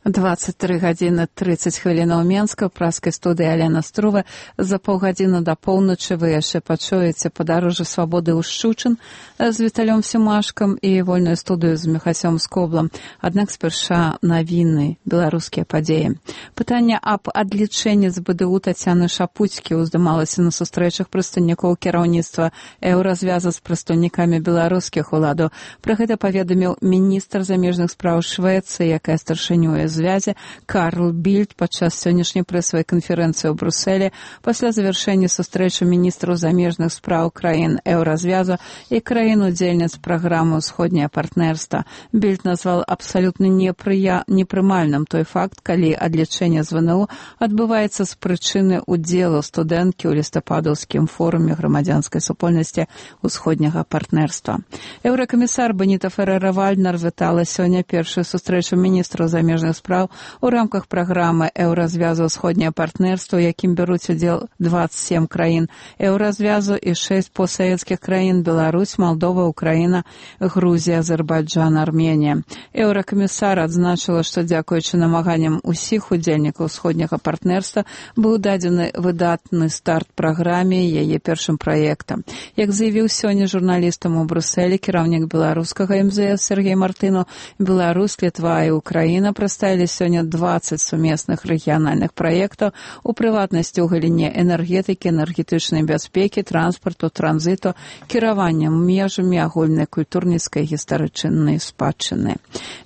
23 гадзіны 30 хвілінаў Менска, праскай студыі Алена Струва. За паўгадзіны да поўначы вы яшчэ пачуеце падарожжа свабоды ў Шчучын з Віталём Семашкам і вольную студыю з Міхасём Скоблам. Аднак спярша навіны, беларускія падзеі. Пытанне аб адлічэнні з БДУ Тацяны Шапуцькі ўздымалася на сустрэчах прадстаўнікоў кіраўніцтва еўразвяза з прадстаўнікамі беларускіх уладаў. Пра гэта паведаміў міністр замежных спраў Швецыі, якая старшынюе звязі Карл Більд падчас сённяшняй прэсавай канферэнцыі ў Брусэлі пасля завяршэння сустрэчы міністраў замежных спраў краін еўразвязу і краін-удзельніц праграмы «Усходняе партнерства». Більд назвал абсалютна непрымальным той факт, калі адлічэнне з ВНУ адбываецца з прычыны ўдзелу студэнткі ў лістападаўскім форуме грамадзянскай супольнасці «Усходняга партнерства». Еўракамісар Беніта Ферера-Вальднер вітала сёння першую сустрэчу міністраў замежных спраў у рамках праграмы еўразвязу «Усходняе партнерство», у якім бяруць удзел 27 краін еўразвязу і 6 постсавецкіх краін: Беларусь, Малдова, Украіна, Грузія, Азербайджан, Арменія. Еўракамісар адзначыла, што дзякуючы намаганням усіх удзельнікаў усходняга партнерства быў дадзены выдатны старт праграме яе першым праектам. Як заявіў сёння журналістам у Брусэлі кіраўнік беларускага МЗС Сергей Мартынаў, Беларусь, Літва і Украіна прадставілі сёння 20 сумесных рэгіянальных праектаў, у прыватнасці ў галіне энергетыкі, энергетычнай бяспекі, транспарту, транзіту, кіравання межамі агульнай культурніцкай гістарычнай спадчыны.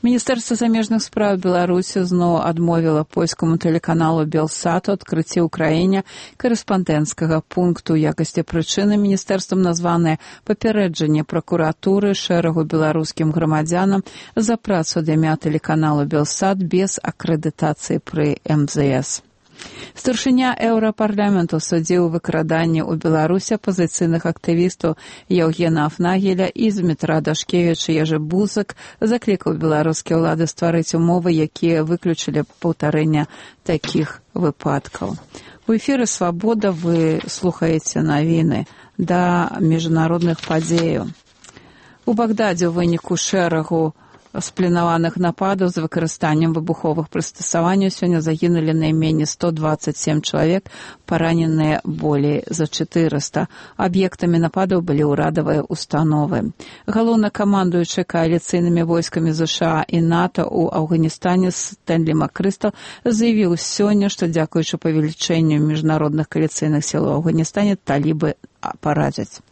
Міністэрства замежных спраў Беларусі зноў адмовіла польскаму тэлеканалу Белсат у адкрыцці ў краіне карэспандэнцкага пункту. У якасці прычыны міністэрствам названае папярэджанне пракуратуры шэрагу беларускім грамадзянам за працу ад імя тэлеканалу Белсат без акрэдытацыі пры МЗС. Старшыня Еўрапарламенту судзіў выкраданне ў Беларусі апазіцыйных актывістаў Яўгена Афнагеля і Змітра Дашкевіча. Ежы Бузак заклікаў беларускія ўлады стварыць умовы, якія выключылі паўтарэння такіх выпадкаў. У эфіры «Свабода» вы слухаеце навіны да міжнародных падзеяў. У Багдадзе ў выніку шэрагу спланаваных нападаў з выкарыстаннем выбуховых прыстасаванняў сёння загінулі найменей 127 чалавек, параненыя болей за 400. Аб'ектамі нападаў былі ўрадавыя установы. Галоўнакамандуючы кааліцыйнымі войскамі ЗША і НАТО ў Афганістане Стэнлі Макрыстал заявіў сёння, што дзякуючы павелічэнню міжнародных кааліцыйных сіл у Афганістане талібы паразяць.